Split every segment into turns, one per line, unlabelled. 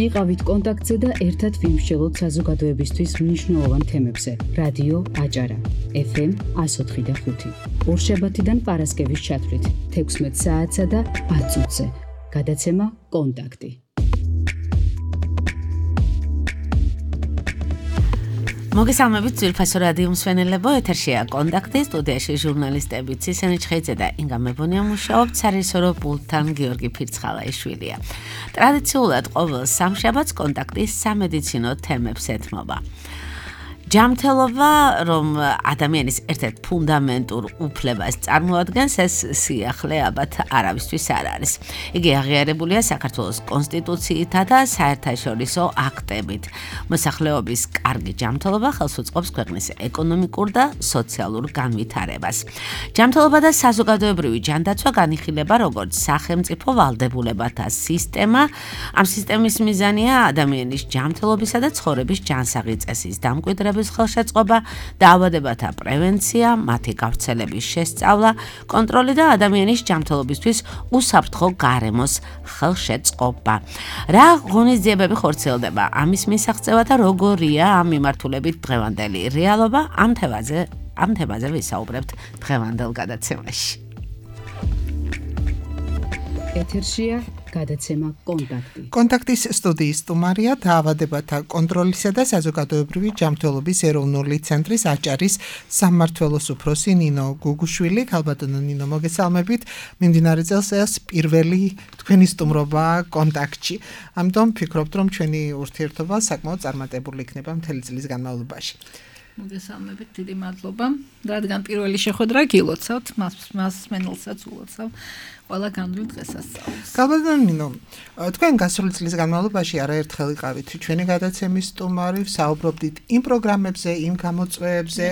იყავით კონტაქტზე და ერთად ვიმსჯელოთ საზოგადოებისთვის მნიშვნელოვან თემებზე. რადიო აჭარა, FM 104.5. ორშაბათიდან პარასკევის ჩათვლით 16 საათსა და 10 წუთზე. გადაცემა კონტაქტი.
მოგესალმებით ძვირფასო რადიო მსმენელებო, ეთერშია კონტაქტი, სტუდიაში ჟურნალისტები ცისენი ჩხეიძე და ინგა მებონია მუშაობთ, სარისორო პულტთან გიორგი ფირცხალაიშვილია. ტრადიციულად ყოველ სამშაბათს კონტაქტის სამედიცინო თემებს ეთმობა. ჯანმრთელობა, რომ ადამიანის ერთ-ერთ ფუნდამენტურ უფლებას წარმოადგენს, ეს სიახლე ალბათ არავისთვის არ არის. იგი აღიარებულია საქართველოს კონსტიტუციითა და საერთაშორისო აქტებით. მოსახლეობის კარგი ჯანმრთელობა ხელს უწყობს ქვეყნის ეკონომიკურ და სოციალურ განვითარებას. ჯანმრთელობა და საზოგადოებრივი ჯანდაცვა განიხილება როგორც სახელმწიფო ვალდებულებათა სისტემა. ამ სისტემის მიზანია ადამიანის ჯანმრთელობისა და ცხოვრების ჯანსაღი წესის დამკვიდრება, ხელშეწყობა, დაავადებათა პრევენცია, მათი გავრცელების შესწავლა, კონტროლი და ადამიანის ჯანმრთელობისთვის უსაფრთხო გარემოს ხელშეწყობა. რა ღონისძიებები ხორციელდება ამის მისაღწევად და როგორია ამ მიმართულებით დღევანდელი რეალობა? ამ თემაზე ვისაუბრებთ დღევანდელ გადაცემაში.
ეთერშია გადაცემა კონტაქტი.
კონტაქტის სტუდიის სტუმარია დაავადებათა კონტროლისა და საზოგადოებრივი ჯანმრთელობის ეროვნული ცენტრის აჭარის სამმართველოს უფროსი ნინო გუგუშვილი. ქალბატონო ნინო, მოგესალმებით. მიმდინარე წელს ეს პირველი თქვენი სტუმრობა კონტაქტში. ამიტომ ვფიქრობთ, რომ ჩვენი ურთიერთობა საკმაოდ წარმატებული იქნება მთელი წლის განმავლობაში.
მოგესალმებით, დიდი მადლობა. რადგან პირველი შეხვედრა გილოცავთ, მას მენელსაც ულოცავ. ყველა გამდრილ დღესასწაულს.
ქალბატონო ნინო, თქვენ გასული წლის განმავლობაში არაერთხელ იყავით ჩვენი გადაცემის სტუმარი, საუბრობდით იმ პროგრამებზე, იმ გამოწვევებზე,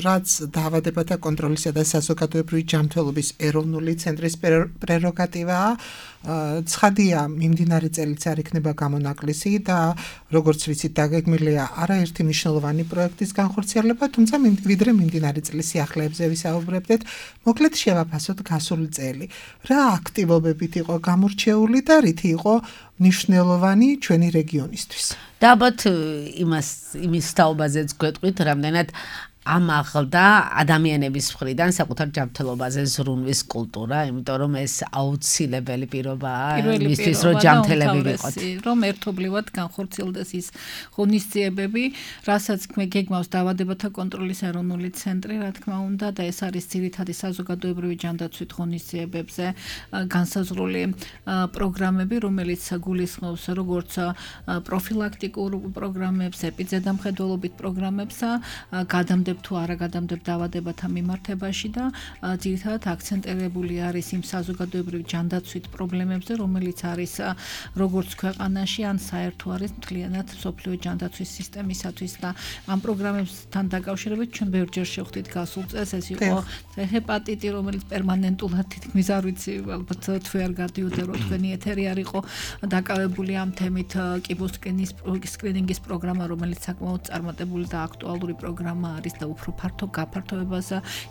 რაც დაავადებათა კონტროლისა და საზოგადოებრივი ჯანმრთელობის ეროვნული ცენტრის პრეროგატივაა. ცხადია, მიმდინარე წელიც არ იქნება გამონაკლისი და როგორც ვიცით, დაგეგმილია არაერთი მნიშვნელოვანი პროექტის განხორციელება, თუმცა ვიდრე მიმდინარე წლის სიახლეებზე ვისაუბრებდეთ, მოკლედ შევაფასოთ გასული წელი. რა აქტივობებით იყო გამორჩეული და რითი იყო მნიშვნელოვანი ჩვენი რეგიონისთვის?
და ალბათ იმის თაობაზეც გვეტყვით, რამდენად ამაღლდა ადამიანების მხრიდან საკუთარ ჯანმრთელობაზე ზრუნვის კულტურა, იმიტომ რომ ეს აუცილებელი პირობაა იმისთვის, რომ ჯანმრთელები ვიყოთ.
რომ ერთობლივად განხორციელდეს ის ღონისძიებები, რასაც გეგმავს დაავადებათა კონტროლის ეროვნული ცენტრი, რა თქმა უნდა, და ეს არის ძირითადი საზოგადოებრივი ჯანდაცვით ღონისძიებებზე განსაზღვრული პროგრამები, რომელიც გულისხმობს როგორც პროფილაქტიკურ პროგრამებს, ეპიდემიოლოგიურ პროგრამებს, გადამდებ თუ არა გადამდებ დაავადებათა მიმართებაში და ძირითადად აქცენტირებული არის იმ საზოგადოებრივ ჯანდაცვით პრობლემებზე, რომელიც არის როგორც ქვეყანაში, ან საერთო არის მთლიანად მსოფლიო ჯანდაცვის სისტემისათვის და ამ პროგრამებთან დაკავშირებით ჩვენ ბევრჯერ შევხვდით გასულ წელს, ეს იყო ჰეპატიტი, რომელიც პერმანენტულად თითქმის არ ვიცი, ალბათ თუ არ გადიოდა რომ თქვენი ეთერი არ იყო დაკავებული ამ თემით, კიბოსკრინინგის პროგრამა, რომელიც საკმაოდ წარმატებული და აქტუალური პროგრამა არის და უფრო ფართო გაფართოებას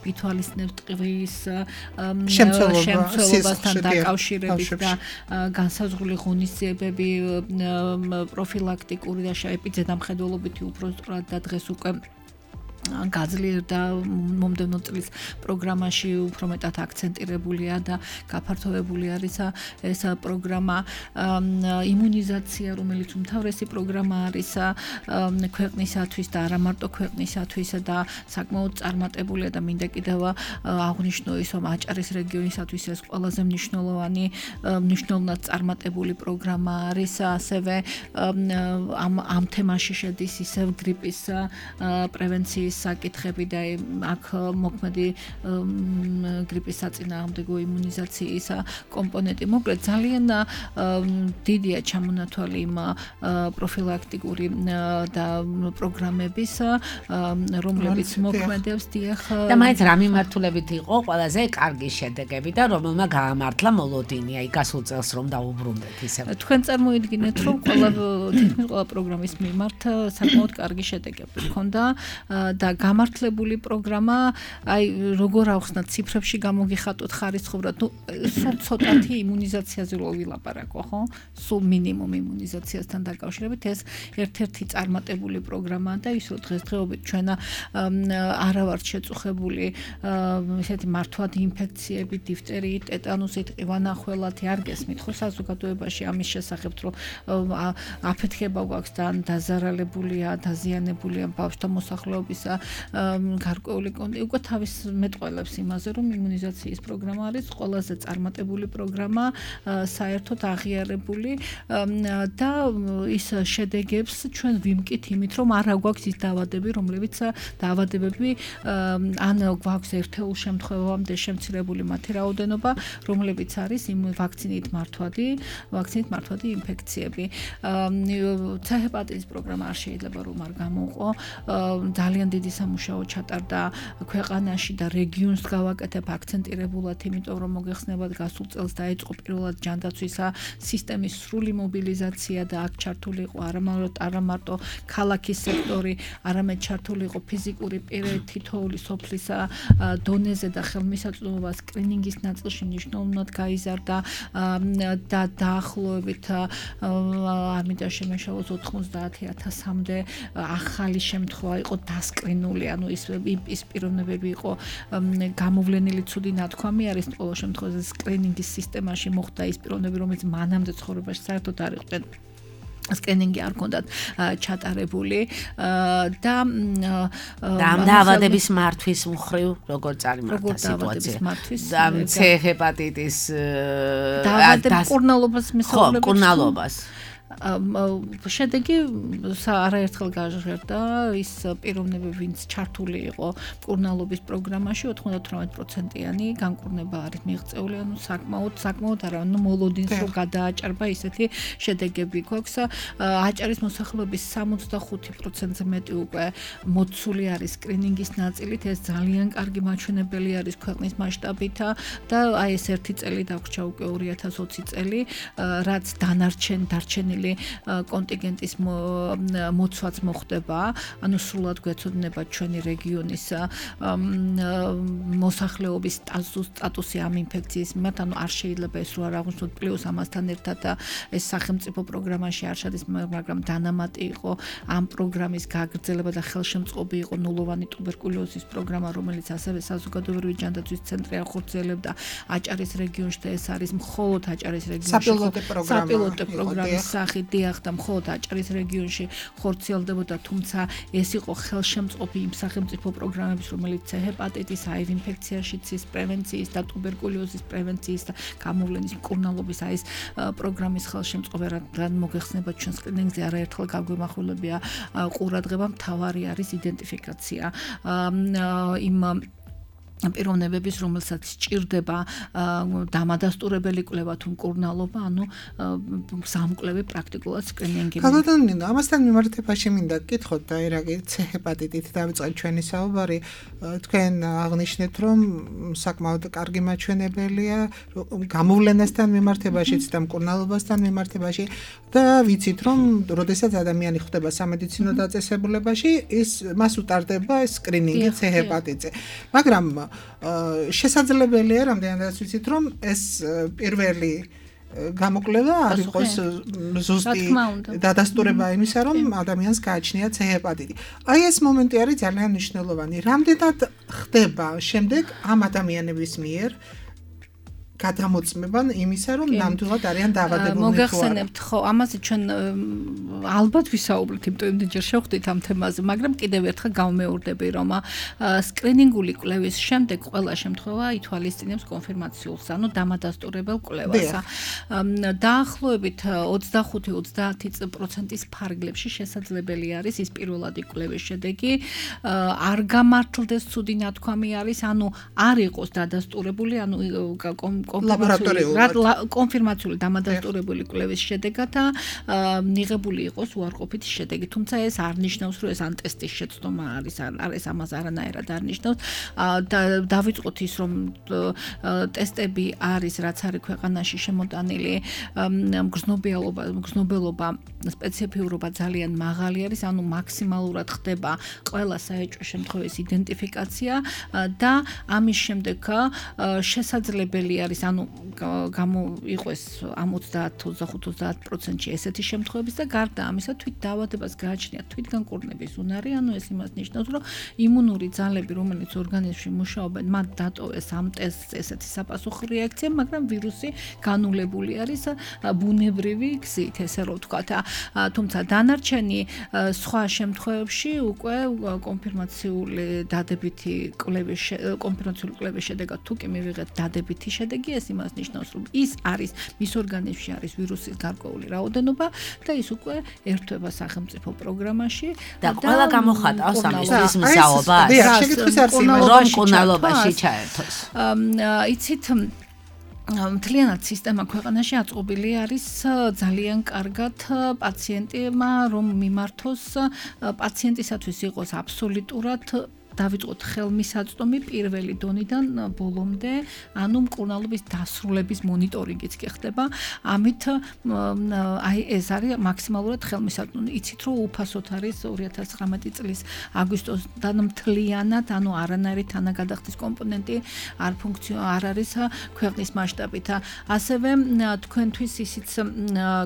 ვითვალისწინებს ტყვის შემცველობასთან დაკავშირებით და განსაზღვრული ღონისძიებები პროფილაქტიკური და ეპიდემიოლოგიური უფრო სწორად და დღეს უკვე გაძლიერდა მომდევნო წლის პროგრამაში უფრო მეტად აქცენტირებულია და გაფართოებული არის ეს პროგრამა იმუნიზაცია, რომელიც უმთავრესი პროგრამა არის ქვეყნისათვის და არა მარტო ქვეყნისათვის და საკმაოდ წარმატებულია და მინდა კიდევ აღვნიშნო ის, რომ აჭარის რეგიონისათვის ეს ყველაზე მნიშვნელოვნად წარმატებული პროგრამა არის, ასევე ამ თემაში შედის ისევ გრიპის პრევენციის საკითხები და აქ მოქმედი გრიპის საწინააღმდეგო იმუნიზაციის კომპონენტი. მოკლედ ძალიან დიდია ჩამონათვალი იმ პროფილაქტიკური და პროგრამების, რომლებიც მოქმედებს დიახ.
და მაინც რა მიმართულებით იყო ყველაზე კარგი შედეგები და რომელმა გაამართლა მოლოდინი, აი გასულ წელს რომ დაუბრუნდეთ ისე.
თქვენ წარმოიდგინეთ, რომ ყველა პროგრამის მიმართ საკმაოდ კარგი შედეგები ჰქონდა და გამართლებული პროგრამა, აი როგორ ავხსნათ ციფრებში გამოგიხატოთ ხარისხობრად, სულ ცოტათი იმუნიზაციაზე ვილაპარაკო, ხო? სულ მინიმუმ იმუნიზაციასთან დაკავშირებით ეს ერთ-ერთი წარმატებული პროგრამაა და ის რომ დღესდღეობით ჩვენ არა ვართ შეწუხებული ესეთი მართვადი ინფექციებით, დიფტერიით, ტეტანუსით, ყივანახველათი არ გესმით ხო საზოგადოებაში ამის შესახებ რომ აფეთქება გვაქვს და დაზარალებულია, დაზიანებულია ბავშვთა მოსახლეობისა გარკვეული კონტი უკვე თავის მეტყველებს იმაზე რომ იმუნიზაციის პროგრამა არის ყველაზე წარმატებული პროგრამა საერთოდ აღიარებული და ის შედეგებს ჩვენ ვიმკით იმით რომ არა გვაქვს ის დაავადებები რომლებიც დაავადებები ან გვაქვს ერთეულ შემთხვევამდე შემცირებული მათი რაოდენობა რომლებიც არის იმ ვაქცინით მართვადი ინფექციები C ჰეპატიტის პროგრამა არ შეიძლება რომ არ გამოუყო ძალიან დიდი სამუშაო ჩატარდა ქვეყანაში და რეგიონს გავაკეთებ აქცენტირებულად იმიტომ რომ მოგეხსნებათ გასულ წელს დაიწყო პირველად ჯანდაცვისა სისტემის სრული მობილიზაცია და აქ ჩართული იყო არა მარტო ქალაქის სექტორი არამედ ჩართული იყო ფიზიკური პირი თითოეული სოფლის დონეზე და ხელმისაწვდომობა სკრინინგის ნაწილში მნიშვნელოვნად გაიზარდა და დაახლოებით არ მინდა შემეშალოს 90,000-მდე ახალი შემთხვევა იყო დასკრინული, ანუ ის პიროვნებები იყო გამოვლენილი ცუდი ნათქვამი არის ყოველ შემთხვევაში სკრინინგის სისტემაში მოხდა ის პიროვნები, რომელიც მანამდე ცხოვრებაში საერთოდ არ იყვნენ სკრინინგი არ ქონდათ ჩატარებული და
ამ დაავადების მართვის მხრივ როგორ წარიმართა სიტუაცია და C ჰეპატიტის
დაავადების კურნალობას მისაღებებს
კურნალობას
შედეგი არაერთხელ გაჟღერდა ის პიროვნები ვინც ჩართული იყო კურნალობის პროგრამაში 98%-იანი განკურნება არის მიღწეული ანუ საკმაოდ არა ანუ მოლოდინს რო გადააჭარბა ისეთი შედეგები გვაქვს აჭარის მოსახლეობის 65%-ზე მეტი უკვე მოცული არის სკრინინგის ნაწილით ეს ძალიან კარგი მაჩვენებელი არის ქვეყნის მასშტაბით და აი ეს ერთი წელი დაგვრჩა უკვე 2020 წელი რაც დარჩენილი კონტინგენტის მოცვაც მოხდება, ანუ სრულად გვეცოდინება ჩვენი რეგიონის მოსახლეობის სტატუსი ამ ინფექციის მიმართ, ანუ არ შეიძლება ეს რო არ აღვნიშნოთ პლუს ამასთან ერთად ეს სახელმწიფო პროგრამაში არ შედის, მაგრამ დანამატი იყო ამ პროგრამის გაგრძელება და ხელშემწყობი იყო ნულოვანი ტუბერკულოზის პროგრამა, რომელიც ასევე საზოგადოებრივი ჯანდაცვის ცენტრი ახორციელებდა აჭარის რეგიონში და ეს არის მხოლოდ აჭარის რეგიონში საპილოტო პროგრამის დიახ და მხოლოდ აჭარის რეგიონში ხორციელდებოდა, თუმცა ეს იყო ხელშემწყობი იმ სახელმწიფო პროგრამების, რომელიც C ჰეპატიტის, HIV ინფექციაში ცის პრევენციის და ტუბერკულოზის პრევენციის და გამოვლენის მკურნალობის ეს პროგრამის ხელშემწყობი რადგან მოგეხსენებათ ჩვენ სკრინინგზე არაერთხელ გაგვემახვილებია ყურადღება, მთავარი არის იდენტიფიკაცია იმ პიროვნებების, რომელსაც სჭირდება დამადასტურებელი კვლევა თუ მკურნალობა, ანუ სამკვლევი პრაქტიკულად სკრინინგი.
ქალბატონო, ამასთან მიმართებაში მინდა გკითხოთ და ერაგი C ჰეპატიტით დავიწყეთ ჩვენი საუბარი. თქვენ აღნიშნეთ, რომ საკმაოდ კარგი მაჩვენებელია გამოვლენასთან მიმართებაშიც და მკურნალობასთან მიმართებაში და ვიცით, რომ როდესაც ადამიანი ხვდება სამედიცინო დაწესებულებაში, მას უტარდება სკრინინგი C ჰეპატიტზე. მაგრამ შესაძლებელია რამდენადაც ვიცით რომ ეს პირველი გამოკვლევა არ იყოს ზუსტი დადასტურება იმისა რომ ადამიანს გააჩნია C ჰეპატიტი. აი ეს მომენტი არის ძალიან მნიშვნელოვანი. რამდენად ხდება შემდეგ ამ ადამიანების მიერ გადამოწმება იმისა, რომ ნამდვილად არიან დაავადებულნი.
მოგახსენებთ, ხო, ამაზე ჩვენ ალბათ ვისაუბრეთ, იმიტომ რომ ჯერ შევხვდით ამ თემაზე, მაგრამ კიდევ ერთხელ გავმეორდები, რომ სკრინინგული კვლევის შემდეგ ყველა შემთხვევა ითვალისწინებს კონფირმაციულს, ანუ დამადასტურებელ კვლევას. დაახლოებით 25-30% ფარგლებში შესაძლებელი არის ის პირველადი კვლევის შედეგი, არ გამართლდეს ცუდი ნათქვამი არის, ანუ არ იყოს დადასტურებული, ანუ კონფირმაციული დამადასტურებული კვლევის შედეგათა მიღებული იყოს უარყოფითი შედეგი. თუმცა ეს არ ნიშნავს, რომ ეს ან ტესტის შეცდომა არის, ეს ამას არანაირად არ ნიშნავს. დავიწყოთ ის, რომ ტესტები არის, რაც არის ქვეყანაში შემოტანილი, მგრძნობელობა, სპეციფიურობა ძალიან მაღალი არის, ანუ მაქსიმალურად ხდება ყველა საეჭვო შემთხვევის იდენტიფიკაცია და ამის შემდეგ შესაძლებელი არის, ანუ გამოიყვეს ამ 30-25% ესეთი შემთხვევების და გარდა ამისა თვით დაავადებას გააჩნია თვითგანკურნების უნარი, ანუ ეს იმას ნიშნავს, რომ იმუნური ძალები, რომელიც ორგანიზმში მუშაობენ, მათ დატოვეს ამ ტესტს ესეთი საფასუხო რეაქცია, მაგრამ ვირუსი განულებული არის ბუნებრივი გზით, ესე რომ ვთქვათ. თუმცა დანარჩენი სხვა შემთხვევებში უკვე კონფირმაციული კვლევის შედეგად თუ კი მივიღეთ დადებითი შედეგი, ეს იმას ნიშნავს, რომ ის არის მის ორგანიზმში არის ვირუსის გარკვეული რაოდენობა და ის უკვე ერთვება სახელმწიფო პროგრამაში
და ყველა გამოხატავს ამისთვის მსაობას. რომ მკურნალობაში ჩაერთოს.
იცით მთლიანად სისტემა ქვეყანაში აწყობილი არის ძალიან კარგად პაციენტებმა, რომ მიმართოს პაციენტისათვის იყოს აბსოლუტურად დავიწყოთ ხელმისაწვდომი პირველი დონიდან ბოლომდე, ანუ მკურნალობის დასრულების მონიტორინგიც კი ხდება. ამით აი ეს არის მაქსიმალურად ხელმისაწვდომი. იცით რომ უფასოდ არის 2019 წლის აგვისტოსთან მთლიანად, ანუ არანაირი თანაგადახდის კომპონენტი არ არის ქვეყნის მასშტაბით. ასევე თქვენთვის ისიც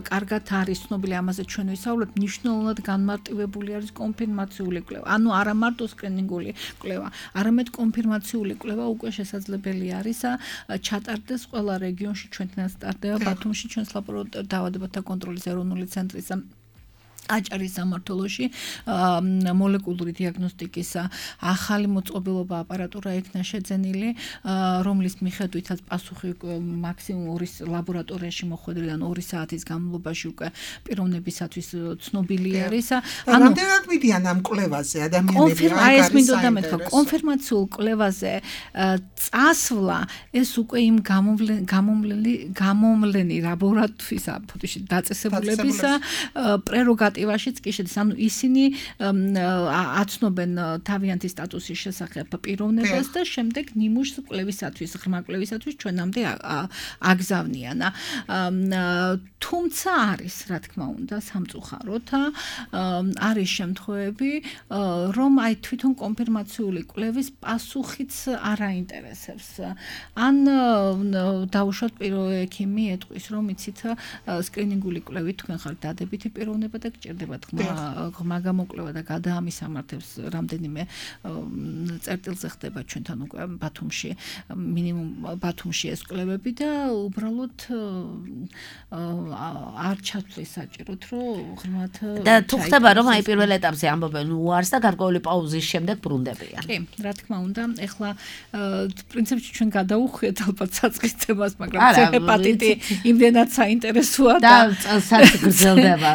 კარგად არის ცნობილი, ამაზე ჩვენ ვისაუბრებთ, მნიშვნელოვნად განმარტივებული არის კონფირმაციული კვლევა. ანუ არა მარტო სკრინინგული კვლევა, არამედ კონფირმაციული კვლევა უკვე შესაძლებელი არის ჩატარდეს ყველა რეგიონში, ჩვენთანაც ტარდება ბათუმში, ჩვენს დაავადებათა კონტროლის ეროვნული ცენტრის აჭარის სამმართველოში მოლეკულური დიაგნოსტიკის ახალი მოწყობილობა აპარატურა იქნა შეძენილი, რომლის მიხედვითაც პასუხი მაქსიმუმ 2 ლაბორატორიაში მოხვედრიდან 2 საათის განმავლობაში უკვე პიროვნებისათვის ცნობილი არის.
რამდენად მიდიან ამ კვლევაზე ადამიანები?
აი ეს მინდოდა მეთქვა, კონფირმაციულ კვლევაზე წასვლა ეს უკვე იმ გამომვლენი ლაბორატორიის დაწესებულების პრეროგატივაშიც კი შედის, ანუ ისინი აცნობენ თავიანთი სტატუსის შესახებ პიროვნებას და შემდეგ ნიმუშს კვლევისათვის, ღრმა კვლევისათვის ჩვენამდე აგზავნიან. თუმცა არის, რა თქმა უნდა, სამწუხაროდ არის შემთხვევები, რომ აი თვითონ კონფირმაციული კვლევის პასუხიც არ აინტერესებს. ან დაუშვათ ექიმი ეტყვის, რომ იცით სკრინინგული კვლევით თქვენ ხართ დადებითი პიროვნება და გჭირდებათ ღრმა გამოკვლევა და გადაამისამართებს რამდენიმე წერტილზე ხდება ჩვენთან უკვე ბათუმში, მინიმუმ ბათუმში ეს კვლევები და უბრალოდ არ ჩათვლის საჭიროდ, რომ ღრმად
და თუ ხდება, რომ აი პირველ ეტაპზე ამბობენ უარს და გარკვეული პაუზის შემდეგ ბრუნდებიან.
კი, რა თქმა უნდა, ეხლა პრინციპში ჩვენ გადაუხვიეთ ალბათ საწყის თემას, მაგრამ ჰეპატიტი იმდენად საინტერესოა და
წელსაც გრძელდება.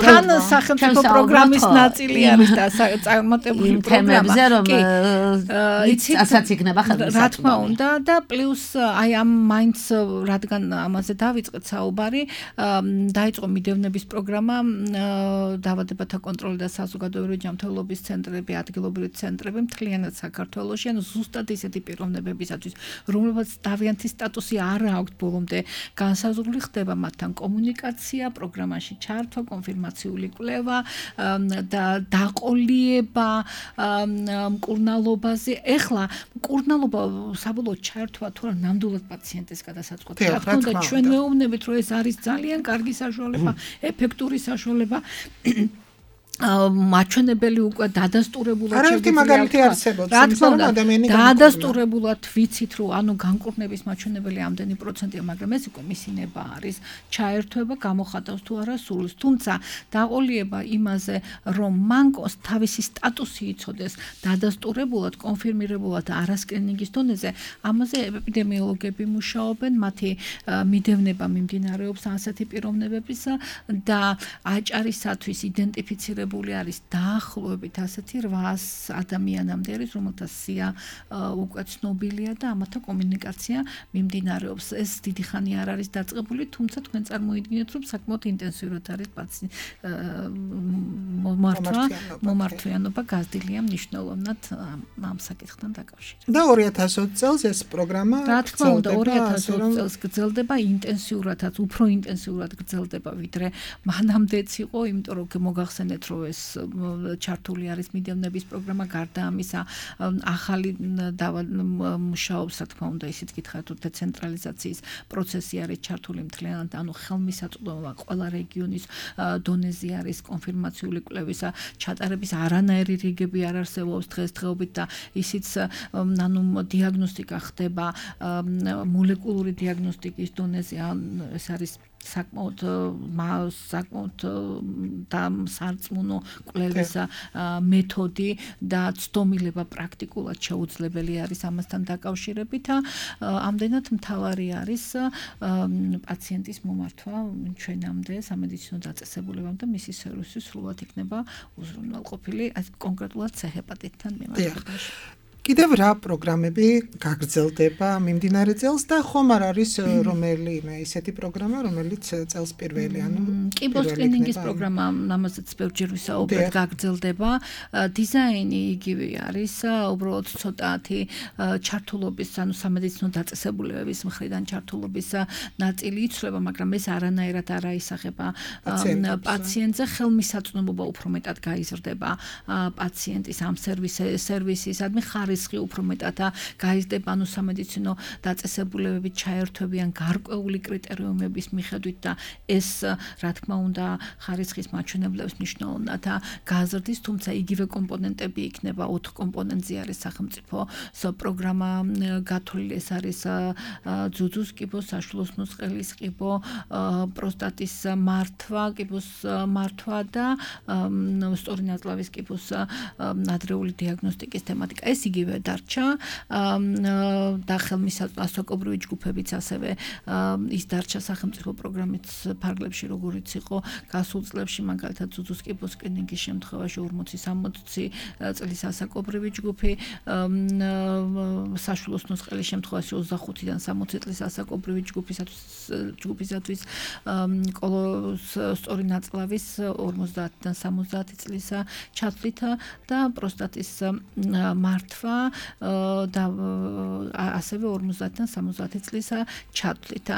თან სახელმწიფო პროგრამის ნაწილი არის და წარმატებული
თემებზე, რომ ასაც იქნება ხელმისაწვდომი.
რა თქმა უნდა და პლუს აი ამ მაინც რადგან ამაზე დავიწყეთ საუბარი, დაიწყო მიდევნების პროგრამა დაავადებათა კონტროლი და საზოგადოებრივი ჯანმრთელობის ცენტრები, ადგილობრივი ცენტრები მთლიანად საქართველოში, ანუ ზუსტად ისეთი პიროვნებებისათვის, რომლებსაც თავიანთი სტატუსი არ აქვთ ბოლომდე განსაზღვრული, ხდება მათთან კომუნიკაცია, პროგრამაში ჩართვა, კონფირმაციული კვლევა და დაყოლიება მკურნალობაზე. ეხლა მკურნალობა საბოლოოდ ჩართვა თუ არა ნამდვილად პაციენტის გადასაწყვეტი. რა თქმა უნდა, ჩვენ მეუბნებით, რომ ეს არის ძალიან კარგი საშუალება, ეფექტური საშუალება. მაჩვენებელი უკვე დადასტურებულად
არაერთი მაგალითი არსებობს,
დადასტურებულად ვიცით, რომ ანუ განკურნების მაჩვენებელი ამდენი პროცენტია, მაგრამ ეს უკვე მისინება არის, ჩაერთვება, გამოხატავს თუ არა სულს. თუმცა დაყოლიება იმაზე, რომ მანკოს თავისი სტატუსი იცოდეს დადასტურებულად, კონფირმირებულად არასკრინინგის დონეზე, ამაზე ეპიდემიოლოგები მუშაობენ, მათი მიდევნება მიმდინარეობს ასეთი პიროვნებების და აჭარისათვის იდენტიფიცირება მიღებული არის დაახლოებით ასეთი 800 ადამიანამდე არის, რომელთა სია უკვე ცნობილია და ამათა კომუნიკაცია მიმდინარეობს. ეს დიდი ხანი არ არის დაწყებული, თუმცა თქვენ წარმოიდგინეთ, რომ საკმაოდ ინტენსიურად არის მომართვიანობა გაზრდილია მნიშვნელოვნად ამ საკითხთან დაკავშირებით.
და 2020 წელს ეს პროგრამა
რა თქმა უნდა 2020 წელს გრძელდება ინტენსიურადაც, უფრო ინტენსიურად გრძელდება ვიდრე მანამდეც იყო, იმიტომ რომ მოგახსენეთ, რომ ეს ჩართული არის მიდივნების პროგრამა, გარდა ამისა ახალი მუშაობს, რა თქმა უნდა, ისიც გითხრათ, რომ დეცენტრალიზაციის პროცესი არის ჩართული მთლიანად, ანუ ხელმისაწვდომობა ყველა რეგიონის დონეზე არის კონფირმაციული კვლევისა ჩატარების არანაირი რიგები არ არსებობს დღესდღეობით და ისიც ანუ დიაგნოსტიკა ხდება მოლეკულური დიაგნოსტიკის დონეზე, ეს არის საკმაოდ სარწმუნო კვლევისა მეთოდი და ცდომილება პრაქტიკულად შეუძლებელი არის ამასთან დაკავშირებით. ამდენად მთავარი არის პაციენტის მომართვა ჩვენამდე სამედიცინო დაწესებულებამ და მისი სერვისი სრულად იქნება უზრუნველყოფილი კონკრეტულად C-ჰეპატიტთან მიმართებაში.
კიდევ რა პროგრამები გაგრძელდება მიმდინარე წელს და ხომ არ არის რომელიმე ისეთი პროგრამა, რომელიც წელს პირველი, ანუ
კიბოს კლინინგის პროგრამა ამაზეც ბევრჯერ ვისაუბრეთ გაგრძელდება. დიზაინი იგივე არის, უბრალოდ ცოტათი ჩართულობის, ანუ სამედიცინო დაწესებულებების მხრიდან ჩართულობის ნაწილი იცვლება, მაგრამ ეს არანაირად არ აისახება პაციენტზე, ხელმისაწვდომობა უფრო მეტად გაიზრდება პაციენტის ამ სერვისისადმი ხარისხი უფრო მეტად გაიზრდება, ანუ სამედიცინო დაწესებულებებით ჩაერთვებიან გარკვეული კრიტერიუმების მიხედვით და ეს რა თქმა უნდა ხარისხის მაჩვენებლებს მნიშვნელოვნად გაზრდის, თუმცა იგივე კომპონენტები იქნება 4 კომპონენტზე არის სახელმწიფოს პროგრამა გათვლილი, ეს არის ძუძუს კიბოს, საშვილოს ნუსხელის კიბო, პროსტატის მართვა, კიბოს მართვა და სწორი ნაწლავის კიბოს ადრეული დიაგნოსტიკის თემატიკა. ეს იგივე დარჩა და ხელმისაწვდომი ჯგუფებიც ასევე ის დარჩა სახელმწიფო პროგრამის ფარგლებში, როგორიც იყო გასულ წლებში, მაგალითად ძუძუს კიბოს კლინიკის შემთხვევაში 40-60 წლის ასაკობრივი ჯგუფი, საშვილოს ნუსხელის შემთხვევაში 25-დან 60 წლის ასაკობრივი ჯგუფისათვის სწორი ნაწლავის 50-დან 70 წლის ჩათვლით და პროსტატის მართვა და ასევე 50-დან 70 წლის ჩათვლით.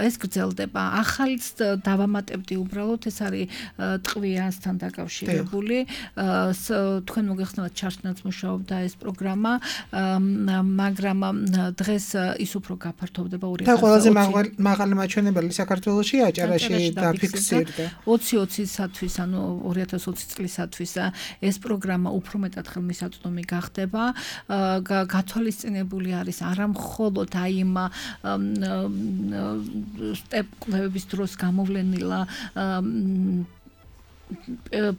ეს გრძელდება. ახალიც დავამატებდი უბრალოდ, ეს არის ტყვიასთან დაკავშირებული. თქვენ მოგეხსენებათ ჩარჩნაც მუშაობდა ეს პროგრამა, მაგრამ დღეს ის უფრო გაფართოვდება 2020.
და ყველაზე მაღალი მაჩვენებელი საქართველოში აჭარაში დაფიქსირდა.
2020-სათვის, ანუ 2020 წლისათვის ეს პროგრამა უფრო მეტად ხელმისაწვდომი გახდება. გათვალისწინებული არის არა მხოლოდ აი იმ სტეპ კვლევების დროს გამოვლენილა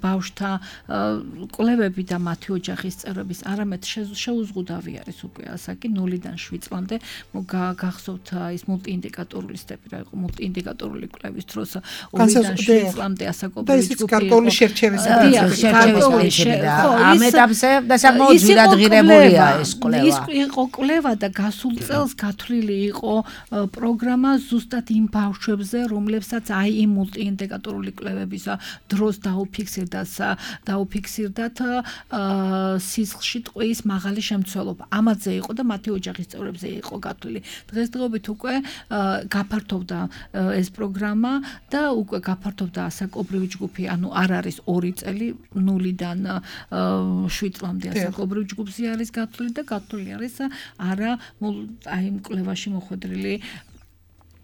ბავშვთა კვლევები და მათი ოჯახის წევრების, არამედ შეუზღუდავი არის უკვე ასაკი 0-დან 7 წლამდე. გახსოვთ ის მულტიინდიკატორული სტეპი რა იყო, მულტიინდიკატორული კვლევის დროს 2-დან 7 წლამდე ასაკობრივი ჯგუფი იყო.
გარკვეული შერჩევის
ამ ეტაპზე და საკმაოდ ძვირადღირებულია ეს კვლევა.
ის იყო კვლევა და გასულ წელს გათვლილი იყო პროგრამა ზუსტად იმ ბავშვებზე, რომლებსაც აი იმ მულტიინდიკატორული კვლევების დროს დაუფიქსირდათ სისხლში ტყვიის მაღალი შემცველობა. ამაზე იყო და მათი ოჯახის წევრებზე იყო გათვლილი. დღესდღეობით უკვე გაფართოვდა ეს პროგრამა და უკვე გაფართოვდა ასაკობრივი ჯგუფი, ანუ არ არის 2 წელი, 0-დან 7 წლამდე ასაკობრივი ჯგუფზე არის გათვლილი და გათვლილი არის არა აი იმ კვლევაში მოხვედრილი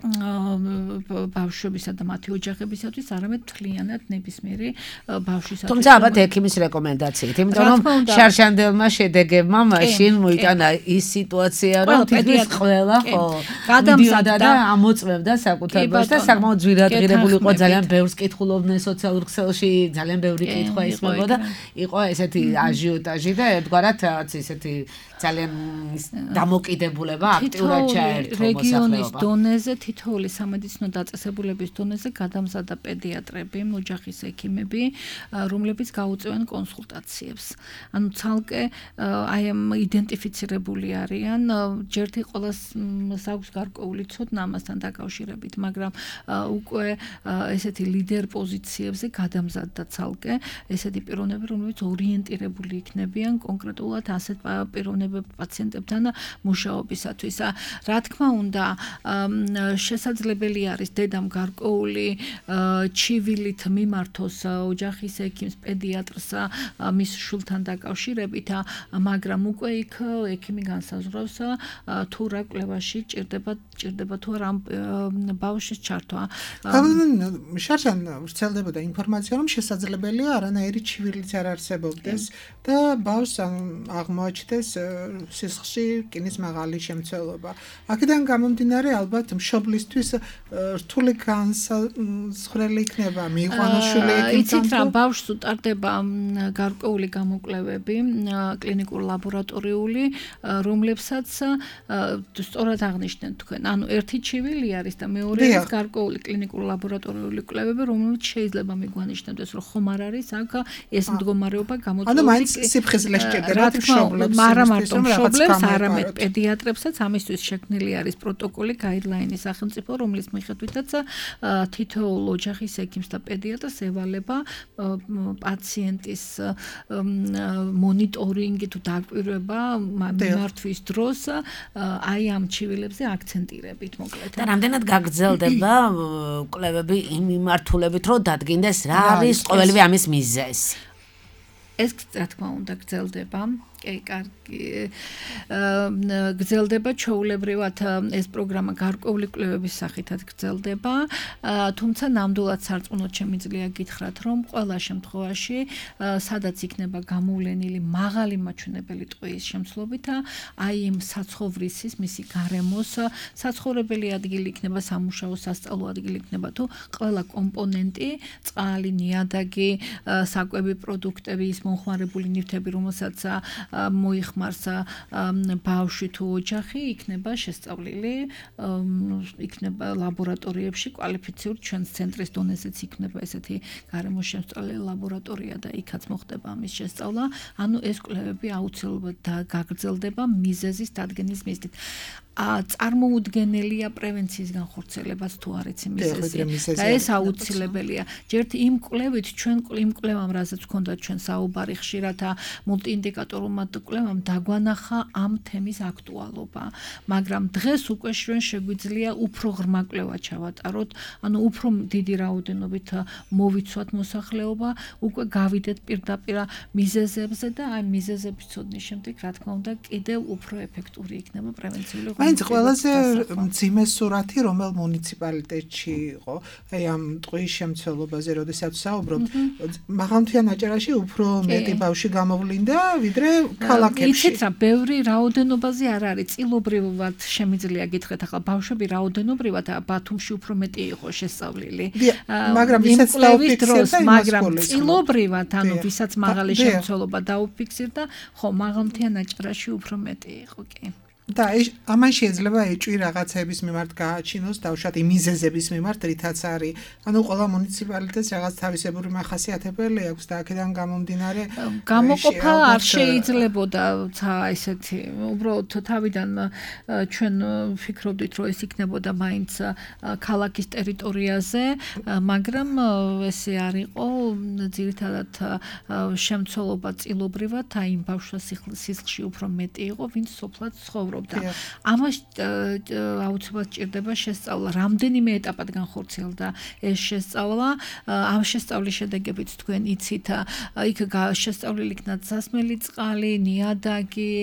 ბავშვებისა და მათი ოჯახებისათვის, არამედ მთლიანად ნებისმიერი ბავშვისათვის.
თუმცა ალბათ ექიმის რეკომენდაციით, იმიტომ რომ შარშანდებმა შედეგებმა მაშინ მოიტანა ის სიტუაცია, რომ თითქმის ყველა გადამზადდა და ამოწმებდა საკუთარ ბავშვს და საკმაოდ ძვირადღირებული იყო, ძალიან ბევრს კითხულობდნენ სოციალურ ქსელში, ძალიან ბევრი კითხვა ისმებოდა, იყო ესეთი აჟიოტაჟი და ერთგვარად რაღაც ესეთი ძალიან დამოკიდებულება აქტიურად ჩაერთო მოსახლეობა.
რეგიონის დონეზე თითოეული სამედიცინო დაწესებულების დონეზე გადამზადდა პედიატრები, ოჯახის ექიმები, რომლებიც გაუწევენ კონსულტაციებს. ანუ ცალკე აი ამ იდენტიფიცირებული არიან, ჯერთი ყოველს აქვს გარკვეული ცოდნა ამასთან დაკავშირებით, მაგრამ უკვე ესეთი ლიდერ პოზიციებზე გადამზადდა ცალკე ესეთი პიროვნები, რომლებიც ორიენტირებული იქნებიან კონკრეტულად ასეთ პიროვნებებთან პაციენტებთან მუშაობისათვის. რა თქმა უნდა, შესაძლებელი არის დედამ გარკვეული ჩივილით მიმართოს ოჯახის ექიმს, პედიატრს მის შულთან დაკავშირებით, მაგრამ უკვე იქ ექიმი განსაზღვრავს თუ რა კვლევაში ჭირდება თუ არა ბავშვის ჩართვა.
შარშან ვრცელდებოდა ინფორმაცია, რომ შესაძლებელია არანაირი ჩივილიც არ არსებობდეს და ბავშვს აღმოაჩნდეს სისხლში რკინის მაღალი შემცველობა. აქედან გამომდინარე ალბათ მშობლისთვის რთული განსაზღვრელი იქნება მიიყვანოს შვილი ექიმთან.
იცით რა, ბავშვს უტარდება გარკვეული გამოკვლევები, კლინიკურ ლაბორატორიული, რომლებსაც სწორად აღნიშნეთ თქვენ. ანუ ერთი ჩივილი არის და მეორე არის გარკვეული კლინიკურ ლაბორატორიული კვლევები, რომლებიც შეიძლება მიგვანიშნებდეს, რომ ხომ არ არის აქ ეს მდგომარეობა გამოწვეული.
ანუ მაინც სიფხიზლე სჭირდება მშობლებს,
არა მარტო მშობლებს, არამედ პედიატრებსაც. ამისთვის შექმნილი არის პროტოკოლი, გაიდლაინი სახელმწიფო, რომლის მიხედვითაც თითოეულ ოჯახის ექიმს და პედიატრს ევალება პაციენტის მონიტორინგი თუ დაკვირვება მიმართვის დროს აი ამ ჩივილებზე აქცენტირებით მოკლედ.
და რამდენად გაგრძელდება კვლევები იმ მიმართულებით, რომ დადგინდეს რა არის ყოველივე ამის მიზეზი?
ეს რა თქმა უნდა გრძელდება. კარგი გრძელდება ჩვეულებრივად ეს პროგრამა გარკვეული კვლევების სახითაც გრძელდება, თუმცა ნამდვილად სარწმუნოდ შემიძლია გითხრათ, რომ ყველა შემთხვევაში სადაც იქნება გამოვლენილი მაღალი მაჩვენებელი ტყვიის შემცვლობით, აი იმ საცხოვრისის, მისი გარემოს საცხოვრებელი ადგილი იქნება, სამუშაო სასწავლო ადგილი იქნება თუ ყველა კომპონენტი, წყალი, ნიადაგი, საკვები პროდუქტები, ის მომხმარებული ნივთები, რომელსაც მოიხმარს ბავშვი თუ ოჯახი, იქნება შესწავლილი, იქნება ლაბორატორიებში კვალიფიციური ჩვენს ცენტრის დონეზეც იქნება ესეთი გარემოსშემსწავლელი ლაბორატორია და იქაც მოხდება ამის შესწავლა. ანუ ეს კვლევები აუცილებლად გაგრძელდება მიზეზის დადგენის მიზნით. წარმოუდგენელია პრევენციის განხორციელებაც თუ არ იცი მიზეზი და ეს აუცილებელია. ჯერთ იმ კვლევით ჩვენ იმ კვლევამ, რასაც ჰქონდა ჩვენ საუბარი ხშირად მულტიინდიკატორულად კვლევამ დაგვანახა ამ თემის აქტუალობა, მაგრამ დღეს უკვე ჩვენ შეგვიძლია უფრო ღრმა კვლევა ჩავატაროთ, ანუ უფრო დიდი რაოდენობით მოვიცვათ მოსახლეობა, უკვე გავიდეთ პირდაპირ მიზეზებზე და აი მიზეზების ცოდნის შემდეგ, რა თქმა უნდა, კიდევ უფრო ეფექტური იქნება პრევენციული
მაინც ყველაზე მძიმე სურათი რომელ მუნიციპალიტეტში იყო, აი ამ ტყვის შემცველობაზე, როდესაც საუბრობთ, მაღალმთიან აჭარაში უფრო მეტი ბავშვი გამოვლინდა, ვიდრე ქალაქებში.
იცით რა, ბევრი რაოდენობაზე არ არის, წილობრივად შემიძლია გითხრათ, ახლა ბავშვები რაოდენობრივად ბათუმში უფრო მეტი იყო შესწავლილი.
მაგრამ ვისაც დაუფიქსირდა,
მაგრამ წილობრივად, ანუ ვისაც მაღალი შემცველობა დაუფიქსირდა, ხო, მაღალმთიან აჭარაში უფრო მეტი იყო, კი.
და ამან შეიძლება ეჭვი რაღაცების მიმართ გააჩინოს, დავუშვათ მიზეზების მიმართ, რითაც არის. ანუ ყველა მუნიციპალიტეტს რაღაც თავისებური მახასიათებელი აქვს და აქედან გამომდინარე
გამოყოფა არ შეიძლებოდა ესეთი. უბრალოდ თავიდან ჩვენ ვფიქრობდით, რომ ეს იქნებოდა მაინც ქალაქის ტერიტორიაზე, მაგრამ ესე არ იყო, ძირითადად შემცველობა წილობრივად აი იმ ბავშვს სისხლში უფრო მეტი იყო, ვინც სოფლად ცხოვრობდა. ამას აუცილებლად ჭირდება შესწავლა. რამდენიმე ეტაპად განხორციელდა ეს შესწავლა. ამ შესწავლის შედეგებით თქვენ იცით, იქ შესწავლილი იქნა სასმელი წყალი, ნიადაგი,